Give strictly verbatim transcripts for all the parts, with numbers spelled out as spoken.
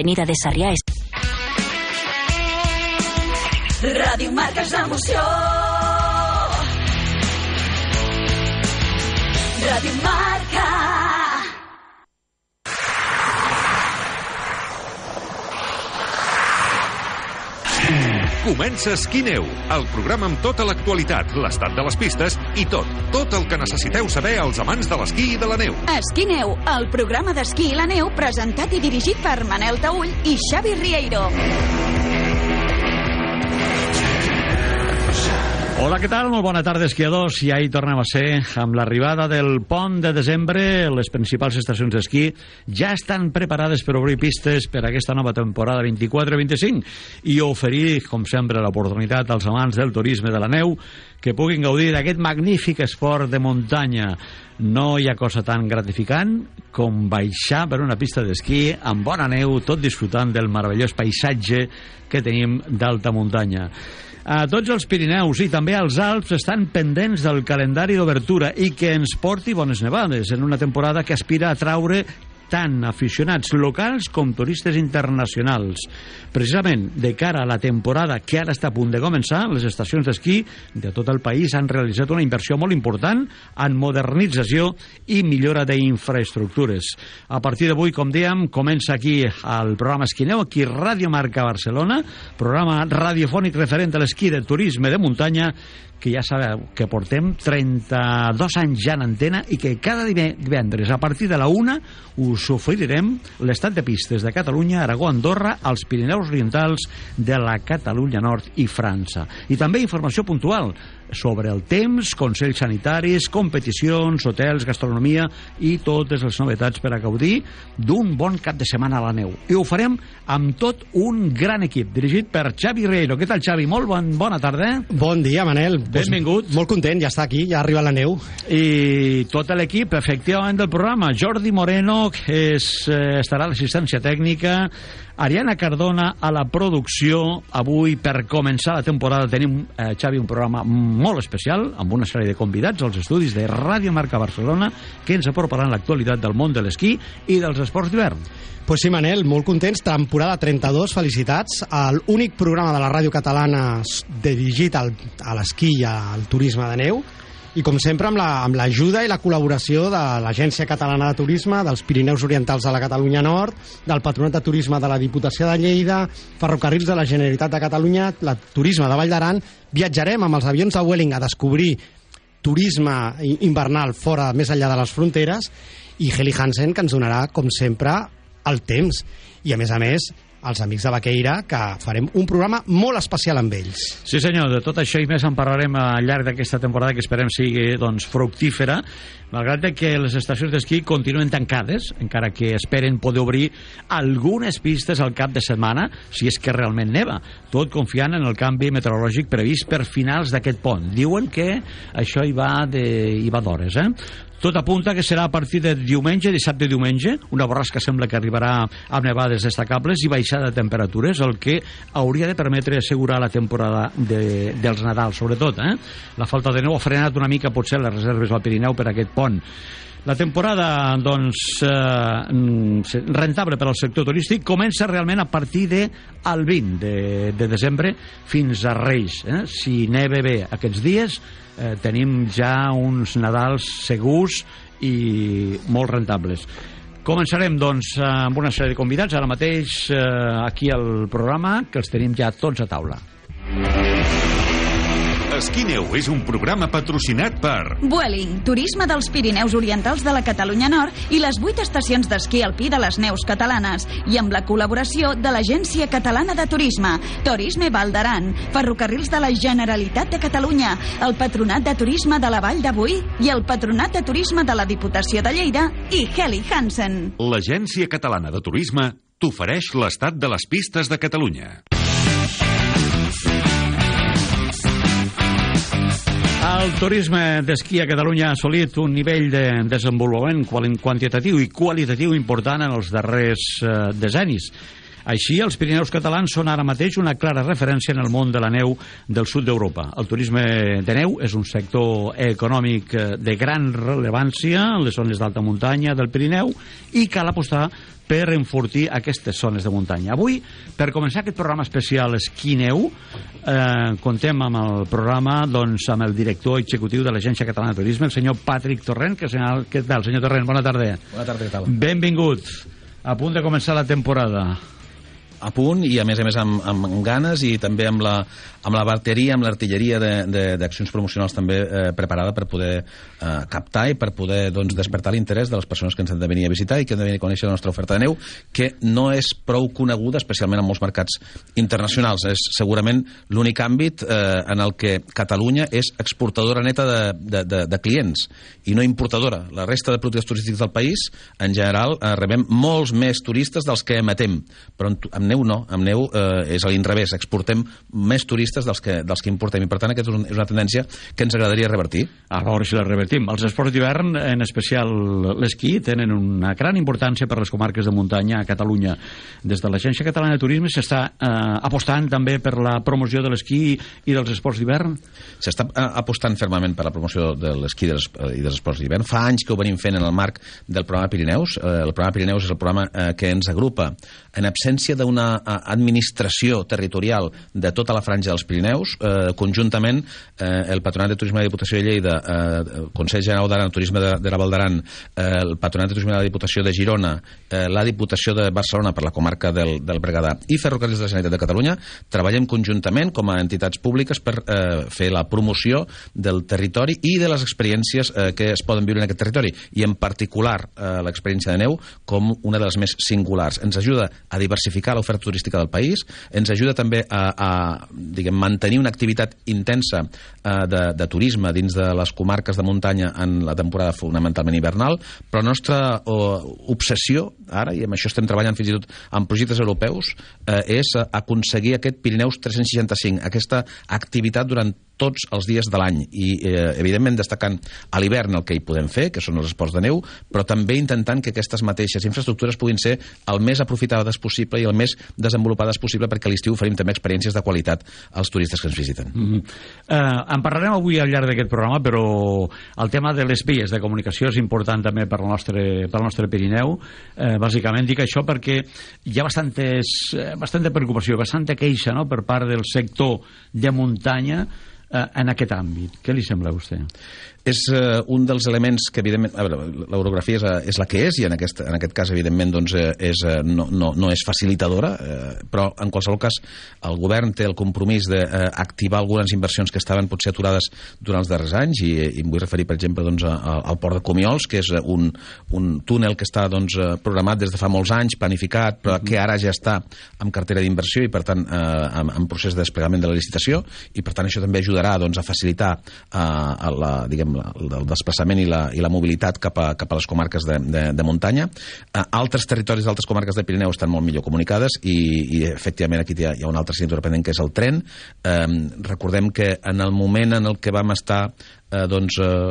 Avenida de Sarrià és... Ràdio Marca és l'emoció. Ràdio Marca. Comença Esquí-Neu, el programa amb tota l'actualitat, l'estat de les pistes i tot, tot el que necessiteu saber als amants de l'esquí i de la neu. Esquí-Neu, el programa d'esquí i la neu presentat i dirigit per Manel Taüll i Xavi Rieiro. Hola, què tal? Molt bona tarda, esquiadors. I ahir tornem a ser amb l'arribada del pont de desembre. Les principals estacions d'esquí ja estan preparades per obrir pistes per a aquesta nova temporada vint-i-quatre vint-i-cinc i oferir, com sempre, l'oportunitat als amants del turisme de la neu que puguin gaudir d'aquest magnífic esport de muntanya. No hi ha cosa tan gratificant com baixar per una pista d'esquí amb bona neu, tot disfrutant del meravellós paisatge que tenim d'alta muntanya. A tots els Pirineus i també als Alps estan pendents del calendari d'obertura i que ens porti bones nevades en una temporada que aspira a traure tant aficionats locals com turistes internacionals. Precisament, de cara a la temporada que ara està a punt de començar, les estacions d'esquí de tot el país han realitzat una inversió molt important en modernització i millora d'infraestructures. A partir d'avui, com dèiem, comença aquí el programa Esquí-Neu, aquí Ràdio Marca Barcelona, programa radiofònic referent a l'esquí de turisme de muntanya, que ja sabeu que portem trenta-dos anys ja en antena i que cada divendres a partir de la una us oferirem l'estat de pistes de Catalunya, Aragó, Andorra, els Pirineus Orientals de la Catalunya Nord i França. I també informació puntual sobre el temps, consells sanitaris, competicions, hotels, gastronomia i totes les novetats per a gaudir d'un bon cap de setmana a la neu. I ho farem amb tot un gran equip, dirigit per Xavi Rieiro. Què tal, Xavi? Molt bon, bona tarda. Bon dia, Manel. Benvingut. Pues, molt content, ja està aquí, ja arriba la neu. I tot l'equip, efectivament, del programa. Jordi Moreno, que és, eh, estarà a l'assistència tècnica, Ariana Cardona a la producció. Avui, per començar la temporada, tenim, eh, Xavi, un programa molt especial, amb una sèrie de convidats als estudis de Ràdio Marca Barcelona, que ens aproparan l'actualitat del món de l'esquí i dels esports d'hivern. Pues sí, Manel, molt contents. Temporada trenta-dos, felicitats. L'únic programa de la ràdio catalana dirigit al, a l'esquí i al turisme de neu. I com sempre amb la, amb l'ajuda i la col·laboració de l'Agència Catalana de Turisme, dels Pirineus Orientals de la Catalunya Nord, del Patronat de Turisme de la Diputació de Lleida, Ferrocarrils de la Generalitat de Catalunya, la Turisme de Vall d'Aran. Viatjarem amb els avions de Vueling a descobrir turisme invernal fora, més enllà de les fronteres, i Heli Hansen, que ens donarà, com sempre, el temps. I a més a més, els amics de Baqueira, que farem un programa molt especial amb ells. Sí, senyor, de tot això i més en parlarem al llarg d'aquesta temporada, que esperem sigui, doncs, fructífera, malgrat que les estacions d'esquí continuen tancades, encara que esperen poder obrir algunes pistes al cap de setmana, si és que realment neva, tot confiant en el canvi meteorològic previst per finals d'aquest pont. Diuen que això hi va de, hi va d'hores, eh? Tot apunta que serà a partir de diumenge, dissabte i diumenge, una borrasca sembla que arribarà amb nevades destacables i baixada de temperatures, el que hauria de permetre assegurar la temporada de, dels Nadals, sobretot. Eh? La falta de neu ha frenat una mica potser les reserves al Pirineu per aquest pont. La temporada, doncs, eh, rentable per al sector turístic comença realment a partir del vint de, de desembre fins a Reis. Eh? Si neve bé aquests dies, eh, tenim ja uns Nadals segurs i molt rentables. Començarem, doncs, amb una sèrie de convidats, ara mateix eh, aquí al programa, que els tenim ja tots a taula. Esquí-Neu és un programa patrocinat per Vueling, turisme dels Pirineus Orientals de la Catalunya Nord i les vuit estacions d'esquí alpí de les neus catalanes, i amb la col·laboració de l'Agència Catalana de Turisme, Turisme Vall d'Aran, Ferrocarrils de la Generalitat de Catalunya, el Patronat de Turisme de la Vall de Boí i el Patronat de Turisme de la Diputació de Lleida i Heli Hansen. l'Agència Catalana de Turisme t'ofereix l'estat de les pistes de Catalunya. El turisme d'esquí a Catalunya ha assolit un nivell de desenvolupament quantitatiu i qualitatiu important en els darrers eh, decennis. Així, els Pirineus catalans són ara mateix una clara referència en el món de la neu del sud d'Europa. El turisme de neu és un sector econòmic de gran rellevància en les zones d'alta muntanya del Pirineu i cal apostar per enfortir aquestes zones de muntanya. Avui, per començar aquest programa especial Esquí-Neu, eh, contem amb el programa doncs, amb el director executiu de l'Agència Catalana de Turisme, el senyor Patrick Torrent. Que, senyor, què tal, senyor Torrent? Bona tarda. Bona tarda, què tal? Benvingut. A punt de començar la temporada. A punt i a més a més amb, amb ganes i també amb la, amb la bateria, amb l'artilleria d'accions promocionals també eh, preparada per poder eh, captar i per poder doncs, despertar l'interès de les persones que ens han de venir a visitar i que han de venir a conèixer la nostra oferta de neu, que no és prou coneguda, especialment en molts mercats internacionals. És segurament l'únic àmbit eh, en el que Catalunya és exportadora neta de, de, de, de clients i no importadora. La resta de productes turístics del país, en general, eh, rebem molts més turistes dels que emetem, però amb neu no, amb neu eh, és a l'inrevés, exportem més turistes dels que, dels que importem i per tant aquesta és, un, és una tendència que ens agradaria revertir. A veure si la revertim. Els esports d'hivern, en especial l'esquí, tenen una gran importància per les comarques de muntanya a Catalunya. Des de l'Agència Catalana de Turisme s'està eh, apostant també per la promoció de l'esquí i dels esports d'hivern? S'està eh, apostant fermament per la promoció de l'esquí i dels esports d'hivern. Fa anys que ho venim fent en el marc del programa Pirineus. Eh, el programa Pirineus és el programa eh, que ens agrupa en absència d'una administració territorial de tota la franja dels Pirineus, eh, conjuntament eh, el Patronat de Turisme de la Diputació de Lleida, eh, el Consell General d'Aran, Turisme de, de la Val d'Aran, eh, el Patronat de Turisme de la Diputació de Girona, eh, la Diputació de Barcelona per la comarca del, del Berguedà i Ferrocarrils de la Generalitat de Catalunya, treballem conjuntament com a entitats públiques per eh, fer la promoció del territori i de les experiències eh, que es poden viure en aquest territori i en particular eh, l'experiència de neu com una de les més singulars. Ens ajuda a diversificar l'oferta turística del país, ens ajuda també a, a diguem, mantenir una activitat intensa eh, de, de turisme dins de les comarques de muntanya en la temporada fonamentalment hivernal, però la nostra oh, obsessió ara, i amb això estem treballant fins i tot en projectes europeus, eh, és aconseguir aquest Pirineus tres-cents seixanta-cinc, aquesta activitat durant tots els dies de l'any i eh, evidentment destacant a l'hivern el que hi podem fer, que són els esports de neu, però també intentant que aquestes mateixes infraestructures puguin ser el més aprofitades possible i el més desenvolupades possible perquè a l'estiu oferim també experiències de qualitat als turistes que ens visiten. Mm-hmm. eh, en parlarem avui al llarg d'aquest programa, però el tema de les vies de comunicació és important també per al nostre, per al nostre Pirineu. Eh, bàsicament dic això perquè hi ha bastantes, bastanta preocupació, bastanta queixa, no?, per part del sector de muntanya en aquest àmbit. Què li sembla a vostè? És uh, un dels elements que, evidentment, a veure, l'orografia és, és la que és i en aquest, en aquest cas, evidentment, doncs, és, no, no, no és facilitadora, eh, però en qualsevol cas el govern té el compromís d'activar eh, algunes inversions que estaven potser aturades durant els darrers anys i, i em vull referir, per exemple, doncs, a, al port de Comiols, que és un, un túnel que està doncs, programat des de fa molts anys, planificat, però que ara ja està en cartera d'inversió i, per tant, eh, en, en procés de desplegament de la licitació i, per tant, això també ajudarà doncs, a facilitar eh, a la, diguem, el desplaçament i la, i la mobilitat cap a, cap a les comarques de, de, de muntanya. Uh, altres territoris d'altres comarques del Pirineu estan molt millor comunicades i, i efectivament aquí hi ha, hi ha una altra assignatura pendent que és el tren. Um, recordem que en el moment en el que vam estar eh, doncs, eh,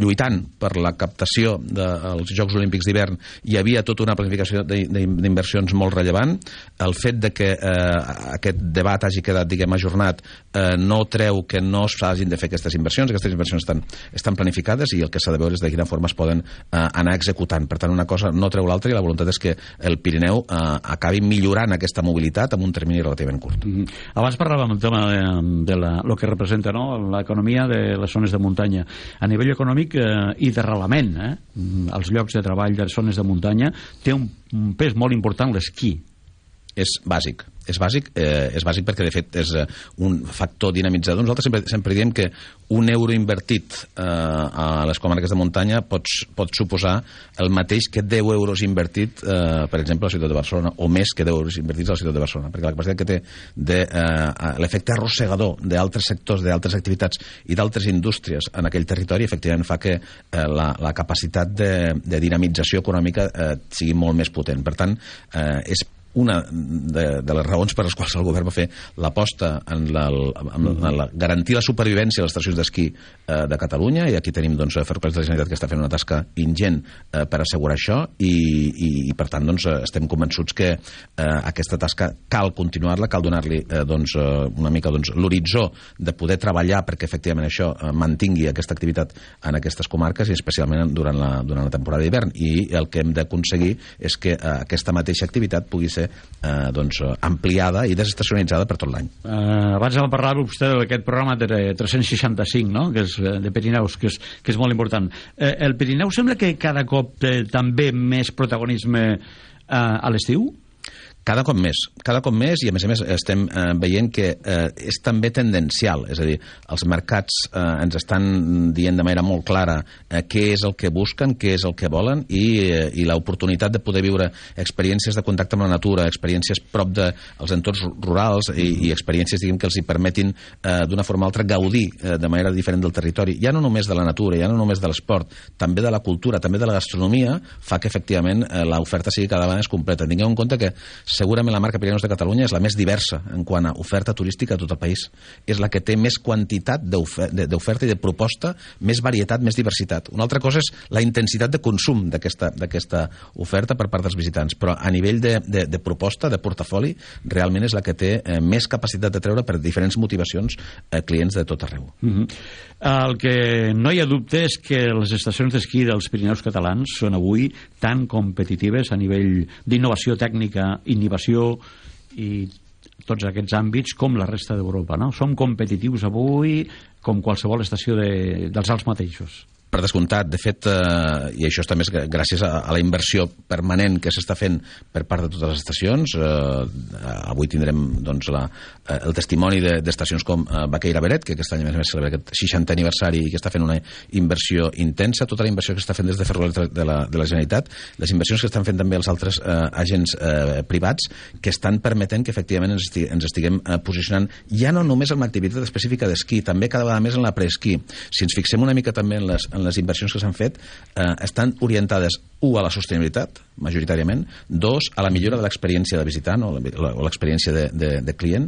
lluitant per la captació dels Jocs Olímpics d'hivern hi havia tota una planificació d'inversions molt rellevant. El fet de que eh, aquest debat hagi quedat, diguem, ajornat eh, no treu que no s'hagin de fer aquestes inversions. Aquestes inversions estan, estan planificades i el que s'ha de veure és de quina forma es poden eh, anar executant. Per tant, una cosa no treu l'altra i la voluntat és que el Pirineu eh, acabi millorant aquesta mobilitat en un termini relativament curt. Mm-hmm. Abans parlàvem del tema de, de la, lo que representa, no?, l'economia de les zones de muntanya. A nivell econòmic eh, i d'arrelament, eh, els llocs de treball de les zones de muntanya té un, un pes molt important l'esquí. És bàsic. És bàsic, eh, és bàsic perquè de fet és eh, un factor dinamitzador. Nosaltres sempre, sempre diem que un euro invertit eh, a les comarques de muntanya pot, pot suposar el mateix que deu euros invertit eh, per exemple a la ciutat de Barcelona, o més que deu euros invertits a la ciutat de Barcelona, perquè la capacitat que té de, eh, l'efecte arrossegador d'altres sectors, d'altres activitats i d'altres indústries en aquell territori efectivament fa que eh, la, la capacitat de, de dinamització econòmica eh, sigui molt més potent. Per tant, eh, és una de, de les raons per les quals el govern va fer l'aposta en la, en la, la garantir la supervivència de les estacions d'esquí eh, de Catalunya, i aquí tenim doncs, Ferrocarrils de la Generalitat que està fent una tasca ingent eh, per assegurar això, i, i, i per tant doncs, estem convençuts que eh, aquesta tasca cal continuar-la, cal donar-li eh, doncs, una mica doncs, l'horitzó de poder treballar perquè efectivament això eh, mantingui aquesta activitat en aquestes comarques, i especialment durant la, durant la temporada d'hivern, i el que hem d'aconseguir és que eh, aquesta mateixa activitat pugui ser eh, doncs, ampliada i desestacionalitzada per tot l'any. Uh, abans em parlava vostè d'aquest programa de tres-cents seixanta-cinc, no? Que és de Pirineus, que és, que és molt important. Uh, el Pirineu sembla que cada cop té també més protagonisme uh, a l'estiu? Cada cop més, cada cop més, i a més a més estem eh, veient que eh, és també tendencial, és a dir, els mercats eh, ens estan dient de manera molt clara eh, què és el que busquen, què és el que volen, i, eh, i l'oportunitat de poder viure experiències de contacte amb la natura, experiències prop dels entorns rurals, i, i experiències, diguem, que els hi permetin eh, d'una forma o altra gaudir eh, de manera diferent del territori, ja no només de la natura, ja no només de l'esport, també de la cultura, també de la gastronomia, fa que efectivament eh, l'oferta sigui cada vegada més completa. Tingueu en compte que segurament la marca Pirineus de Catalunya és la més diversa en quant a oferta turística a tot el país. És la que té més quantitat d'oferta i de proposta, més varietat, més diversitat. Una altra cosa és la intensitat de consum d'aquesta oferta per part dels visitants, però a nivell de, de, de proposta, de portafoli, realment és la que té eh, més capacitat de treure per diferents motivacions eh, clients de tot arreu. Mm-hmm. El que no hi ha dubte és que les estacions d'esquí dels Pirineus catalans són avui tan competitives a nivell d'innovació tècnica, innovació i tots aquests àmbits com la resta d'Europa, no? Som competitius avui com qualsevol estació de, dels Alps mateixos. Per descomptat, de fet, eh, i això també és gràcies a, a la inversió permanent que s'està fent per part de totes les estacions. Eh, avui tindrem doncs, la, eh, el testimoni d'estacions com eh, Baqueira Beret, que aquest any a més a més celebra aquest seixantè aniversari i que està fent una inversió intensa, tota la inversió que està fent des de Ferrocarrils de la, de la Generalitat, les inversions que estan fent també els altres eh, agents eh, privats, que estan permetent que efectivament ens, estig ens estiguem eh, posicionant ja no només en l'activitat específica d'esquí, també cada vegada més en la preesquí. Si ens fixem una mica també en les en les inversions que s'han fet, eh, estan orientades, u, a la sostenibilitat, majoritàriament, dos, a la millora de l'experiència de visitant o l'experiència de, de, de client,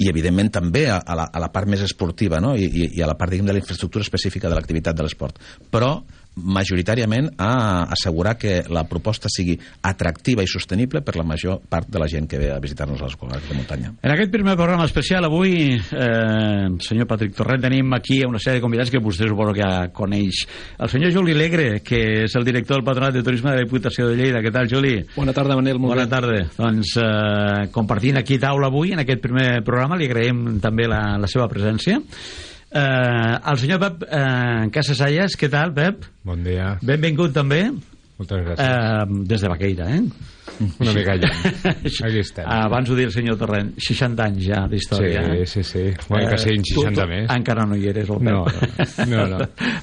i evidentment també a, a, la, a la part més esportiva, no? I, i, i a la part, diguem, de la infraestructura específica de l'activitat de l'esport. Però majoritàriament a assegurar que la proposta sigui atractiva i sostenible per la major part de la gent que ve a visitar-nos a les comarques de muntanya. En aquest primer programa especial avui, eh, senyor Patrick Torrent, tenim aquí una sèrie de convidats que vostè suposo que ja coneix. El senyor Juli Alegre, que és el director del Patronat de Turisme de la Diputació de Lleida. Què tal, Juli? Bona tarda, Manel. Molt Bona bé. tarda. Doncs eh, compartint aquí taula avui en aquest primer programa, li agraïm també la, la seva presència. Eh, el senyor Pep eh, Casasallas, què tal, Pep? Bon dia. Benvingut també. Moltes gràcies. Eh, des de Baqueira, eh? Una mica allà. Aquí estem. Abans ho dir el senyor Torrent, seixanta anys ja d'història. Sí, sí, sí. Bueno, que siguin seixanta tu, tu, més. Encara no hi eres, el Pep. No, no, no.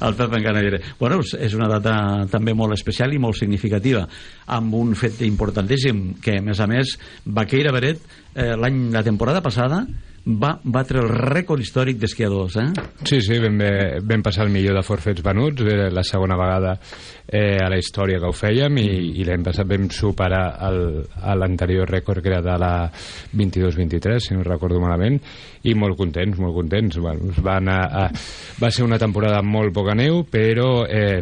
El Pep encara no hi eres. Bueno, és una data també molt especial i molt significativa, amb un fet importantíssim, que a més a més, Baqueira Beret, eh, l'any, la temporada passada, va batre el rècord històric d'esquiadors, eh? Sí, sí, vam, vam passar el millor de forfets venuts, era la segona vegada eh, a la història que ho fèiem, i, i l'any passat vam superar l'anterior rècord, que era de la vint-i-dos vint-i-tres, si no recordo malament, i molt contents, molt contents. Bueno, va, anar a, va ser una temporada amb molt poca neu, però eh,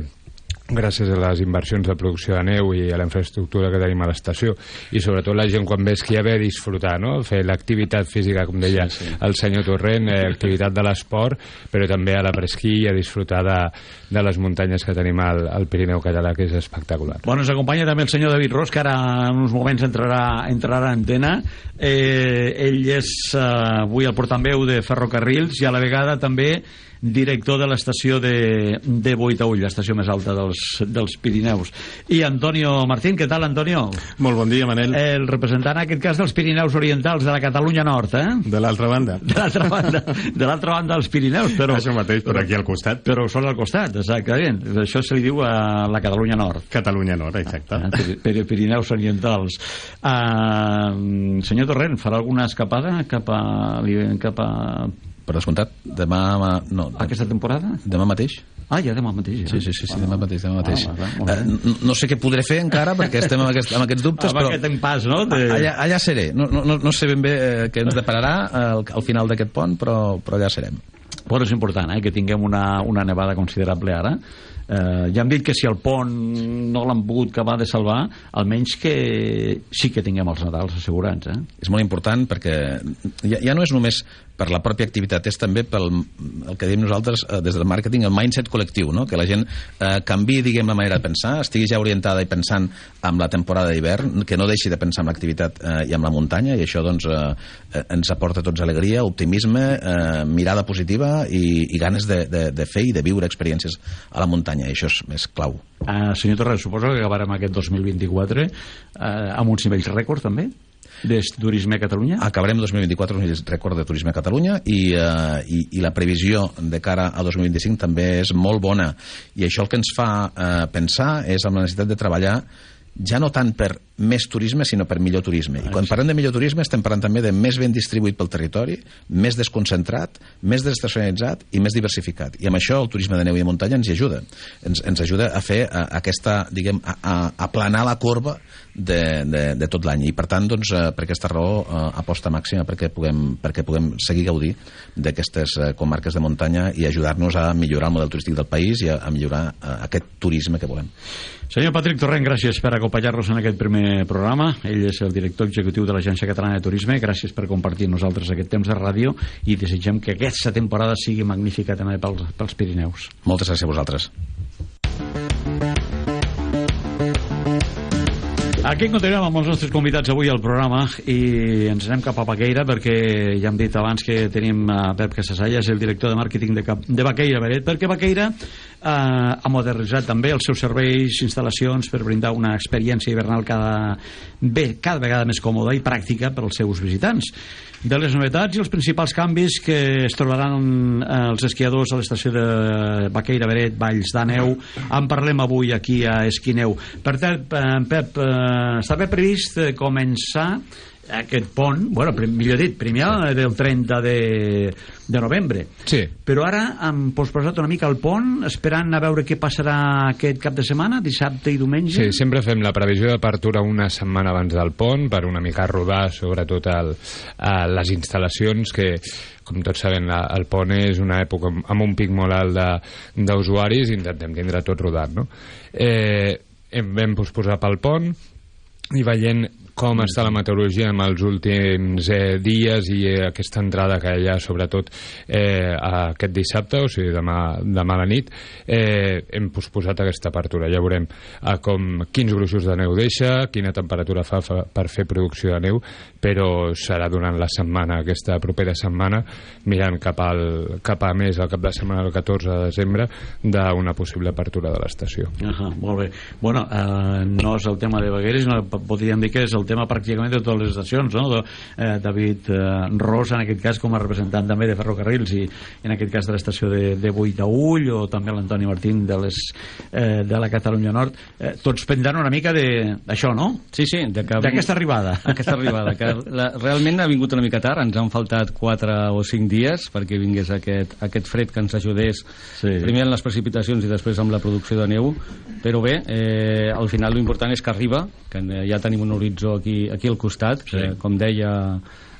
gràcies a les inversions de producció de neu i a la infraestructura que tenim a l'estació, i sobretot la gent quan ve a esquiar ve a disfrutar, no? Fer l'activitat física, com deia sí, sí. el senyor Torrent, eh, activitat de l'esport, però també a la presquí i a disfrutar de, de les muntanyes que tenim al, al Pirineu català, que és espectacular. Bueno, ens acompanya també el senyor David Ros, que ara en uns moments entrarà, entrarà a antena. Eh, ell és eh, avui el portaveu de Ferrocarrils i a la vegada també director de l'estació de, de Boitaull, l'estació més alta dels, dels Pirineus. I Antonio Martín, què tal, Antonio? Molt bon dia, Manel. El representant, en aquest cas, dels Pirineus Orientals de la Catalunya Nord, eh? De l'altra banda. De l'altra banda, de l'altra banda dels Pirineus, però... Això mateix, per aquí al costat. Però són al costat, exactament. Això se li diu a la Catalunya Nord. Catalunya Nord, exacte. Ah, Pirineus Orientals. Uh, Uh, senyor Torrent, farà alguna escapada cap a... Cap a... Per descomptat, demà... No, aquesta temporada? Demà mateix. Ah, ja demà mateix. Ja. Sí, sí, sí, sí, demà mateix. Demà mateix. Ah, va, uh, no, no sé què podré fer encara, perquè estem amb, aquest, amb aquests dubtes, amb però... aquest empàs, no? De... Allà, allà seré. No, no, no sé ben bé eh, què ens depararà al, al final d'aquest pont, però, però allà serem. Però és important, eh, que tinguem una, una nevada considerable ara. Eh, ja hem dit que si el pont no l'han pogut acabar de salvar, almenys que sí que tinguem els Nadals assegurats. Eh? És molt important perquè ja, ja no és només per la pròpia activitat, és també pel el que diem nosaltres eh, des del màrqueting, el mindset col·lectiu, no? Que la gent eh, canvi, diguem, la manera de pensar, estigui ja orientada i pensant en la temporada d'hivern, que no deixi de pensar en l'activitat eh, i en la muntanya, i això doncs eh, ens aporta a tots alegria, optimisme, eh, mirada positiva i, i ganes de, de, de fer i de viure experiències a la muntanya, i això és més clau. Uh, senyor Torres, suposo que acabarem aquest dos mil vint-i-quatre uh, amb uns nivells rècord també de turisme a Catalunya? Acabarem dos mil vint-i-quatre amb un rècord de turisme a Catalunya i, uh, i, i la previsió de cara a dos mil vint-i-cinc també és molt bona, i això el que ens fa uh, pensar és amb la necessitat de treballar ja no tant per més turisme, sinó per millor turisme. I quan parlem de millor turisme estem parlant també de més ben distribuït pel territori, més desconcentrat, més desestacionalitzat i més diversificat. I amb això el turisme de neu i de muntanya ens hi ajuda. Ens, ens ajuda a fer a, aquesta, diguem, a, a aplanar la corba de, de, de tot l'any. I per tant, doncs, per aquesta raó, aposta màxima perquè puguem, perquè puguem seguir gaudir d'aquestes comarques de muntanya i ajudar-nos a millorar el model turístic del país i a, a millorar aquest turisme que volem. Senyor Patrick Torrent, gràcies per acompanyar-nos en aquest primer programa. Ell és el director executiu de l'Agència Catalana de Turisme. Gràcies per compartir amb nosaltres aquest temps de ràdio i desitgem que aquesta temporada sigui magnífica també pels, pels Pirineus. Moltes gràcies a vosaltres. Aquí continuem amb els nostres convidats avui al programa i ens anem cap a Baqueira perquè ja hem dit abans que tenim a Pep Casasalla, és el director de màrqueting de, Cap, de Baqueira Beret, perquè Baqueira eh, ha modernitzat també els seus serveis, instal·lacions per brindar una experiència hivernal cada, bé, cada vegada més còmoda i pràctica per als seus visitants. De les novetats i els principals canvis que es trobaran els esquiadors a l'estació de Baqueira Beret, Valls d'Àneu, en parlem avui aquí a Esquineu. Per tant, Pep, estava previst començar aquest pont, bueno, millor dit, primer del trenta de, de novembre. Sí. Però ara hem posposat una mica el pont, esperant a veure què passarà aquest cap de setmana, dissabte i diumenge. Sí, sempre fem la previsió d'apertura una setmana abans del pont, per una mica rodar sobretot el, a les instal·lacions que, com tots sabem, la, el pont és una època amb un pic molt alt d'usuaris i intentem tindre tot rodat, no? Eh, vam posposar pel pont i veient com està la meteorologia en els últims eh, dies i eh, aquesta entrada que hi ha sobretot eh, aquest dissabte, o sigui demà, demà a la nit, eh, hem posposat aquesta apertura. Ja veurem eh, com, quins gruixos de neu deixa, quina temperatura fa, fa per fer producció de neu, però serà durant la setmana, aquesta propera setmana, mirant cap, al, cap a més el cap de setmana del catorze de desembre d'una possible apertura de l'estació. Uh-huh, molt bé. Bueno, eh, no és el tema de Baqueira, sinó podríem dir que és el tema pràcticament de totes les estacions, no? De, eh, David eh, Ros, en aquest cas, com a representant també de ferrocarrils i en aquest cas de l'estació de, de Boitaüll, o també l'Antoni Martín de, les, eh, de la Catalunya Nord, eh, tots prendran una mica d'això, no? Sí, sí, d'aquesta arribada. Aquesta arribada, que la, realment ha vingut una mica tard, ens han faltat quatre o cinc dies perquè vingués aquest, aquest fred que ens ajudés, sí, primer en les precipitacions i després amb la producció de neu, però bé, eh, al final l'important és que arriba, que ja tenim un horitzó aquí, aquí al costat, sí, que, com deia,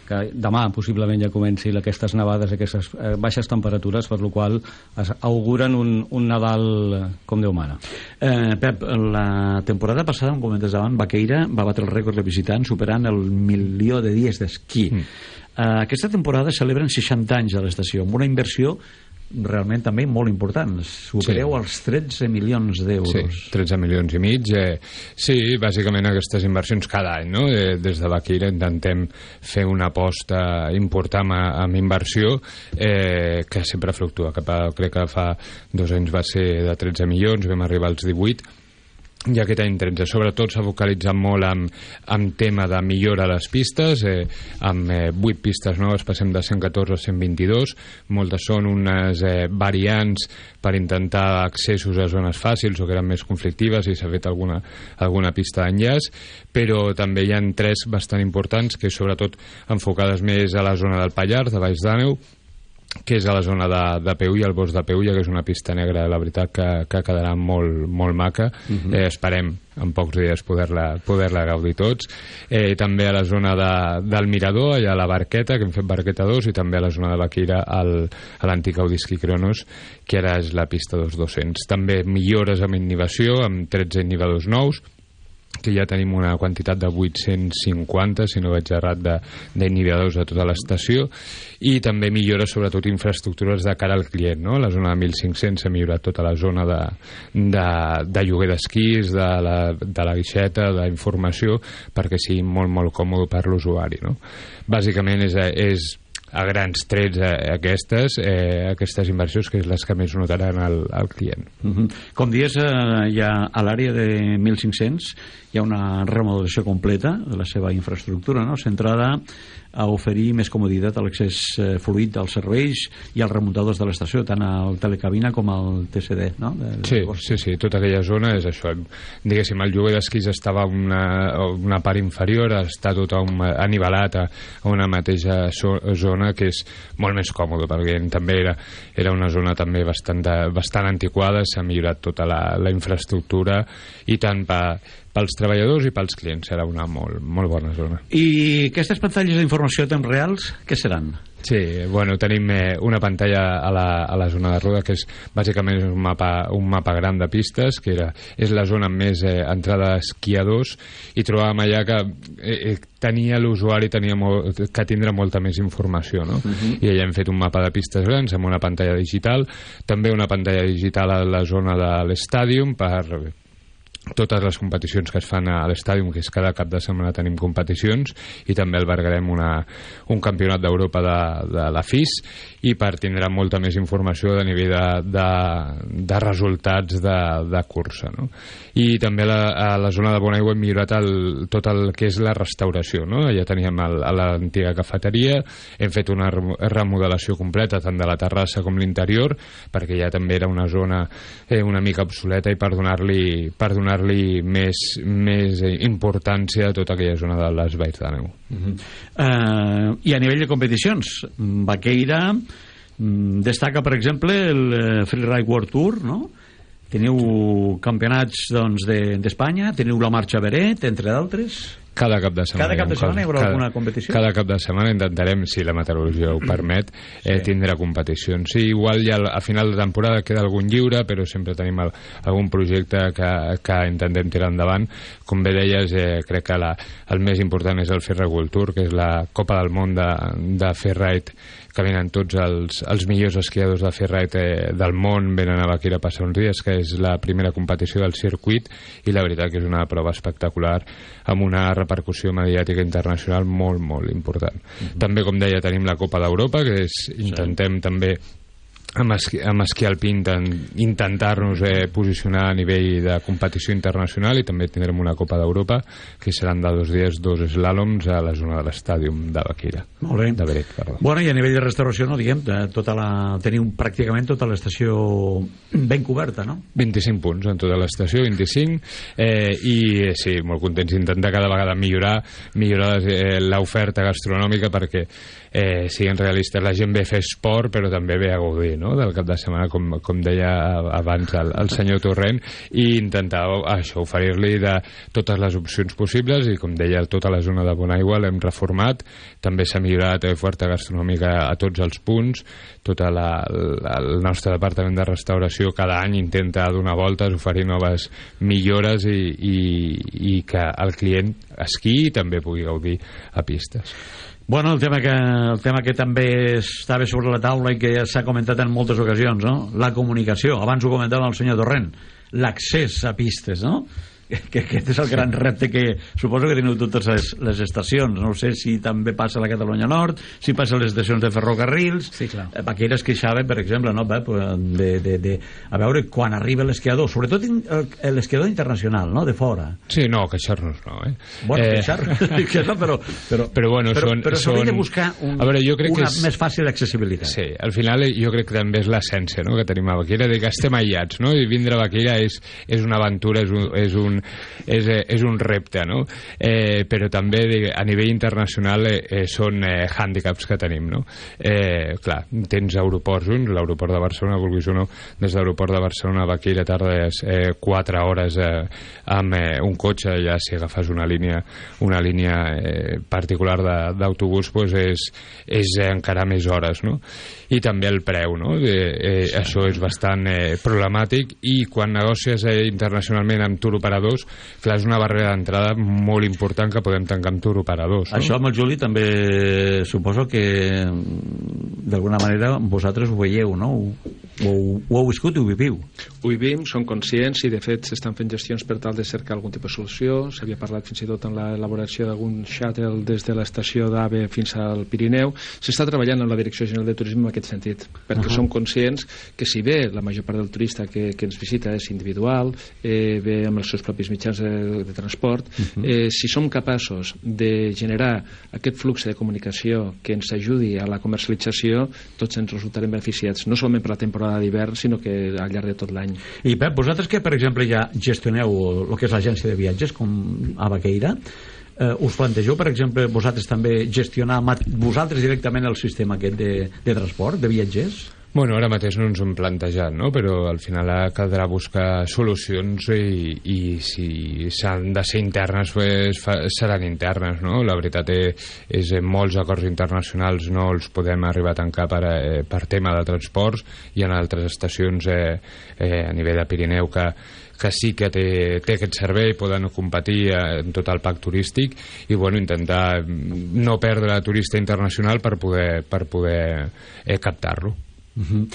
que demà possiblement ja comenci aquestes nevades, aquestes eh, baixes temperatures, per la qual es auguren un, un Nadal com Déu mana. Eh, Pep, la temporada passada, com comentes davant, Baqueira va batre el rècord de visitants superant el milió de dies d'esquí. Mm. Eh, aquesta temporada celebren seixanta anys a l'estació, amb una inversió realment també molt important. Supereu sí. els tretze milions d'euros. Sí, tretze milions i mig. Eh, sí, bàsicament aquestes inversions cada any, no? Eh, des de Baqueira intentem fer una aposta important amb inversió eh, que sempre fluctua. Cap a, crec que fa dos anys va ser de tretze milions, vam arribar als divuit, i aquest any tretze. Sobretot s'ha focalitzat molt en, en tema de millora a les pistes, eh, amb eh, vuit pistes noves, passem de cent catorze a cent vint-i-dos. Moltes són unes eh, variants per intentar accessos a zones fàcils o que eren més conflictives, i s'ha fet alguna, alguna pista d'enllaç, però també hi ha tres bastant importants, que sobretot enfocades més a la zona del Pallars, de Baix d'Àneu, que és a la zona de, de Peulla, el bosc de Peulla, que és una pista negra, la veritat que, que quedarà molt, molt maca. Uh-huh. eh, esperem en pocs dies poder-la poder-la gaudir tots. Eh, també a la zona de, del Mirador, allà a la Barqueta, que hem fet Barqueta dos, i també a la zona de Baquira, al, a l'antic Audisqui Cronos, que ara és la pista dos mil dos-cents. També millores amb inhibició, amb tretze inhibidors nous, que ja tenim una quantitat de vuit-cents cinquanta, si no vaig errat, d'inhibidors a tota l'estació, i també millora sobretot infraestructures de cara al client, no? La zona de mil cinc-cents s'ha millorat tota la zona de, de, de lloguer d'esquís, de la, de la guixeta, d'informació, perquè sigui molt, molt còmode per l'usuari, no? Bàsicament és, és a grans trets eh, aquestes eh, aquestes inversions, que és les que més notaran al, al client. Uh-huh. Com dius, eh, ja a l'àrea de mil cinc-cents hi ha una remodelació completa de la seva infraestructura, no? Centrada a oferir més comoditat a l'accés eh, fluid als serveis i als remuntadors de l'estació, tant al telecabina com al T C D, no? De, de sí, sí, sí, tota aquella zona és això. Diguéssim, el lloguer d'esquís estava una, una part inferior, està tot un, anivelat a, a una mateixa so, zona, que és molt més còmode, perquè també era, era una zona també bastant, de, bastant antiquada, s'ha millorat tota la, la infraestructura, i tant per pels treballadors i pels clients serà una molt, molt bona zona. I aquestes pantalles d'informació a temps reals, què seran? Sí, bueno, tenim eh, una pantalla a la, a la zona de Roda, que és bàsicament un mapa, un mapa gran de pistes, que era, és la zona amb més eh, entrada d'esquiadors, i trobàvem allà que eh, tenia l'usuari tenia molt, que tindrà molta més informació, no? Uh-huh. I allà hem fet un mapa de pistes grans amb una pantalla digital, també una pantalla digital a la zona de l'estàdium per totes les competicions que es fan a l'estàdium, que és cada cap de setmana tenim competicions, i també albergarem una, un campionat d'Europa de, de la F I S, i per tindrà molta més informació de nivell de, de, de resultats de, de cursa, no? I també a la, a la zona de Bonaigua hem millorat el, tot el que és la restauració, no? Ja teníem el, a l'antiga cafeteria, hem fet una remodelació completa tant de la terrassa com l'interior, perquè ja també era una zona eh, una mica obsoleta, i per donar-li per donar donar-li més, més importància a tota aquella zona de les Valls d'Àneu. Uh-huh. uh, I a nivell de competicions, Baqueira destaca, per exemple, el Freeride World Tour, no? Teniu campionats, doncs, d'Espanya, teniu la Marxa Beret, entre d'altres. Cada cap de setmana. Cada cap de setmana hi haurà alguna competició? Cada cap de setmana intentarem, si la meteorologia ho permet, eh, sí. tindrà competicions. Sí, igual ja a final de temporada queda algun lliure, però sempre tenim el, algun projecte que, que intentem tirar endavant. Com bé deies, eh, crec que la, el més important és el Freeride World Tour, que és la Copa del Món de, de Freeride, que venen tots els, els millors esquiadors de freeride eh, del món, venen a Baquira a passar uns dies, que és la primera competició del circuit, i la veritat que és una prova espectacular, amb una repercussió mediàtica internacional molt, molt important. Mm-hmm. També, com deia, tenim la Copa d'Europa, que és, intentem sí. també amb esquí, amb esquí alpí intentar-nos eh, posicionar a nivell de competició internacional, i també tindrem una Copa d'Europa, que seran de dos dies, dos slàloms a la zona de l'estàdium de Baquira. Molt bé. De Beret, perdó. Bueno, i a nivell de restauració, no diguem, tota la, teniu pràcticament tota l'estació ben coberta, no? vint-i-cinc punts en tota l'estació, vint-i-cinc, eh, i eh, sí, molt contents d'intentar cada vegada millorar millorar eh, l'oferta gastronòmica, perquè eh, siguin realistes, la gent ve a fer esport, però també ve a gaudir, no? Del cap de setmana, com, com deia abans el, el senyor Torrent, i intentar això, oferir-li de totes les opcions possibles, i com deia, tota la zona de Bonaigua l'hem reformat, també s'ha millorat l'oferta gastronòmica a tots els punts, tot la, la, el nostre departament de restauració cada any intenta donar voltes, oferir noves millores, i, i, i que el client esquiï i també pugui gaudir a pistes. Bueno, el tema que, el tema que també estava sobre la taula i que ja s'ha comentat en moltes ocasions, no? La comunicació. Abans ho comentava el senyor Torrent. L'accés a pistes, no? que aquest és el gran repte que suposo que teniu totes les, les estacions. No sé si també passa a la Catalunya Nord, si passa a les estacions de ferrocarrils. Sí, clar. Baqueira es queixava, per exemple, no, de, de, de, a veure quan arriba l'esquiador, sobretot l'esquiador internacional, no?, de fora. Sí, no, queixar-nos no, eh? Bueno, eh... queixar-nos, però, però, però, bueno, però, són, però s'hauria de buscar un, a veure, jo crec una que és... més fàcil accessibilitat. Sí, al final jo crec que també és l'essència, no?, que tenim a Baqueira, de que estem aïllats, no?, i vindre a Baqueira és, és una aventura, és un, és un, és, és un repte, no?, eh, però també a nivell internacional eh, eh, són eh, hàndicaps que tenim, no? Eh, clar, tens aeroports, l'aeroport de Barcelona, vulguis o no, des de l'aeroport de Barcelona a Baqueira tardes eh, quatre hores eh, amb eh, un cotxe, ja si agafes una línia una línia eh, particular d'autobús, pues és, és eh, encara més hores, no? I també el preu, no? Eh, eh, sí. Això és bastant eh, problemàtic, i quan negocies eh, internacionalment amb turoperadors, clar, és una barrera d'entrada molt important que podem tancar amb turoperadors, no? Això amb el Juli també suposo que d'alguna manera vosaltres ho veieu, no? Ho, ho, ho heu viscut i ho viviu. Ho vivim, som conscients, i de fet s'estan fent gestions per tal de cercar algun tipus de solució. S'havia parlat fins i tot en l'elaboració d'algun shuttle des de l'estació d'AVE fins al Pirineu. S'està treballant amb la Direcció General de Turisme en aquest sentit, perquè uh -huh. som conscients que si bé la major part del turista que, que ens visita és individual, eh, ve amb els seus propis mitjans de, de transport, uh -huh. eh, si som capaços de generar aquest flux de comunicació que ens ajudi a la comercialització, tots ens resultarem beneficiats, no solament per la temporada d'hivern, sinó que al llarg de tot l'any. I Pep, vosaltres que per exemple ja gestioneu el que és l'agència de viatges com a Baqueira, eh, us plantegeu per exemple vosaltres també gestionar vosaltres directament el sistema aquest de, de transport, de viatgers? Bueno, ara mateix no ens ho hem plantejat, no? Però al final caldrà buscar solucions, i, i si s'han de ser internes, pues, fa, seran internes, no? La veritat és, és en molts acords internacionals no els podem arribar a tancar per, eh, per tema de transports, i en altres estacions eh, eh, a nivell de Pirineu que que sí que té, té aquest servei, poden competir en tot el pack turístic, i bueno, intentar no perdre turista internacional per poder, per poder eh, captar-lo. Uh-huh.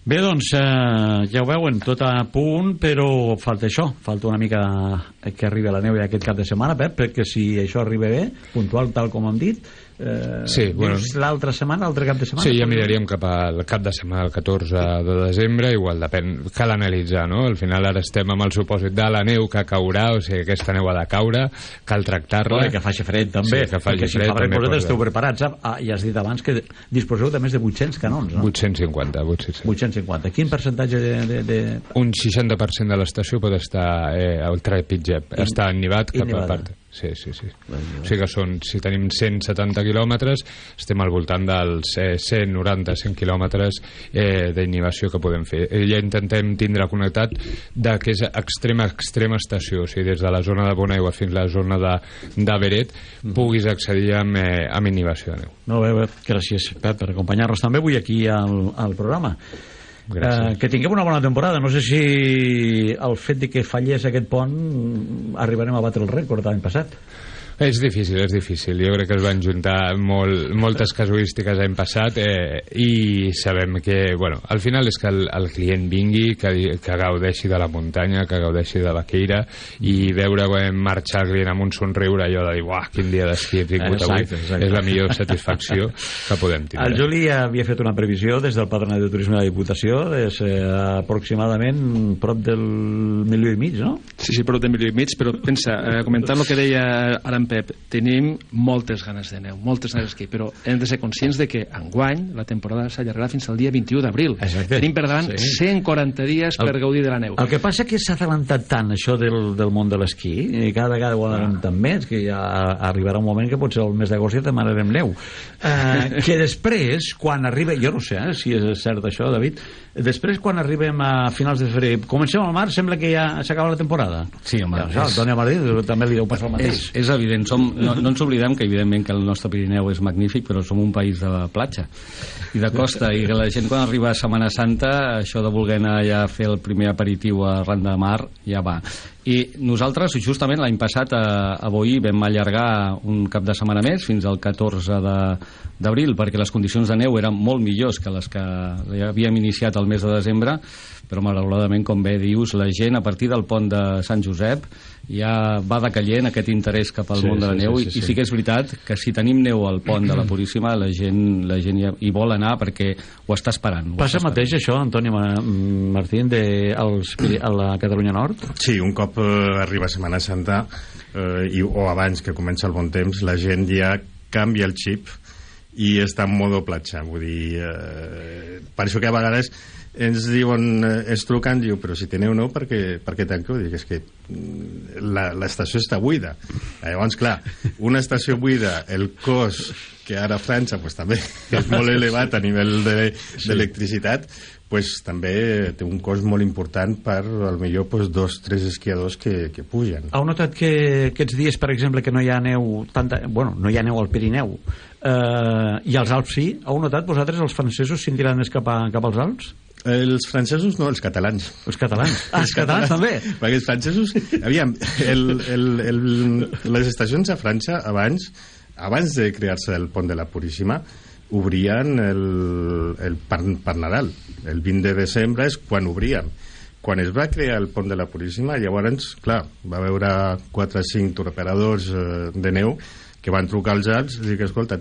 Bé, doncs eh, ja ho veuen, tot a punt, però falta això, falta una mica que arribi la neu aquest cap de setmana, Pep, perquè si això arriba bé, puntual tal com hem dit, eh, sí, bueno, l'altra setmana, l'altre cap de setmana? Sí, ja miraríem cap al cap de setmana, el catorze de desembre, igual depèn, cal analitzar, no? Al final ara estem amb el supòsit de la neu que caurà, o sigui, aquesta neu ha de caure, cal tractar-la. I que faci fred també, sí, que faci perquè si fred, fa fred vosaltres esteu preparats, ah, ja has dit abans que disposeu de més de vuit-cents canons, no? vuit-cents cinquanta, vuit-cents cinquanta. Quin percentatge de... de, de... Un seixanta per cent de l'estació pot estar eh, al trepitget, està ennivat cap a part. Sí, sí, sí. O sigui que són, si tenim cent setanta quilòmetres, estem al voltant dels eh, cent noranta a cent quilòmetres eh, d'innivació que podem fer. Eh, ja intentem tindre connectat de que és extrema, extrema estació, o sigui, des de la zona de Bonaigua fins a la zona de, de Beret, mm. puguis accedir amb, eh, amb innivació de neu. Molt bé, bé, gràcies, Pep, per acompanyar-nos també avui aquí al, al programa. Eh, que tinguem una bona temporada. No sé si el fet de que fallés aquest pont arribarem a batre el rècord l'any passat. És difícil, és difícil. Jo crec que es van juntar molt, moltes casuístiques l'any passat eh, i sabem que, bueno, al final és que el, el client vingui, que, que gaudeixi de la muntanya, que gaudeixi de Baqueira, i veure eh, marxar el client amb un somriure, allò de dir, uah, quin dia d'esquí he tingut avui, exacte. És la millor satisfacció que podem tindre. El Juli havia fet una previsió des del Patronat de Turisme de la Diputació, és eh, aproximadament prop del milió i mig, no? Sí, sí, prop del milió i mig, però pensa, eh, comentant el que deia ara Pep, tenim moltes ganes de neu, moltes ganes d'esquí, però hem de ser conscients de que enguany la temporada s'allargarà fins al dia vint-i-u d'abril. Tenim per davant sí. cent quaranta dies el, per gaudir de la neu. El que passa que s'ha adelantat tant això del, del món de l'esquí, i cada vegada ho adelanten ah. més, que ja arribarà un moment que potser el mes d'agost ja demanarem neu. Eh, que després, quan arriba, jo no sé eh, si és cert això, David, després quan arribem a finals de febrer, comencem al març, sembla que ja s'acaba la temporada. Sí, home. Ja, el Toni Martí també li deu passar el mateix. És, és evident. Som, no, no ens oblidem que evidentment que el nostre Pirineu és magnífic, però som un país de platja i de costa, i la gent quan arriba a Setmana Santa això de voler anar ja a fer el primer aperitiu arran de mar ja va, I nosaltres, justament l'any passat, a, a Boí, vam allargar un cap de setmana més, fins al catorze d'abril, perquè les condicions de neu eren molt millors que les que havíem iniciat el mes de desembre, però malauradament, com bé dius, la gent a partir del pont de Sant Josep ja va decaient aquest interès cap al sí, món de la sí, neu, sí, sí, sí. i sí que és veritat que si tenim neu al pont de la Puríssima, la gent, la gent ja hi vol anar perquè ho està esperant. Ho Passa està mateix esperant. això, Antoni Martín, de, als, a la Catalunya Nord? Sí, un cop eh, arriba Setmana Santa eh, i, o abans que comença el bon temps, la gent ja canvia el xip i està en modo platja. Vull dir, eh, per això que a vegades ens diuen, eh, ens truquen, diu, però si teniu no, per què, per què tanqueu? Dic, és que la, l'estació està buida. Llavors, clar, una estació buida, el cost que ara a França pues, també és molt elevat a nivell d'electricitat, de, pues, també té un cost molt important per, al millor, pues, dos, tres esquiadors que, que pugen. Heu notat que aquests dies, per exemple, que no hi ha neu, tanta, bueno, no hi ha neu al Pirineu, eh, i als Alps sí? Heu notat vosaltres, els francesos, scintilant més cap, a, cap als Alps? Els francesos no, els catalans. Els catalans? Ah, els catalans també? Perquè els francesos... Aviam, el, el, el, les estacions a França abans, abans de crear-se el pont de la Puríssima, obrien el, el per, per Nadal. El vint de desembre és quan obríem. Quan es va crear el pont de la Puríssima, llavors, clar, va haver quatre o cinc turoperadors eh, de neu que van trucar als Alps i dir que, escolta,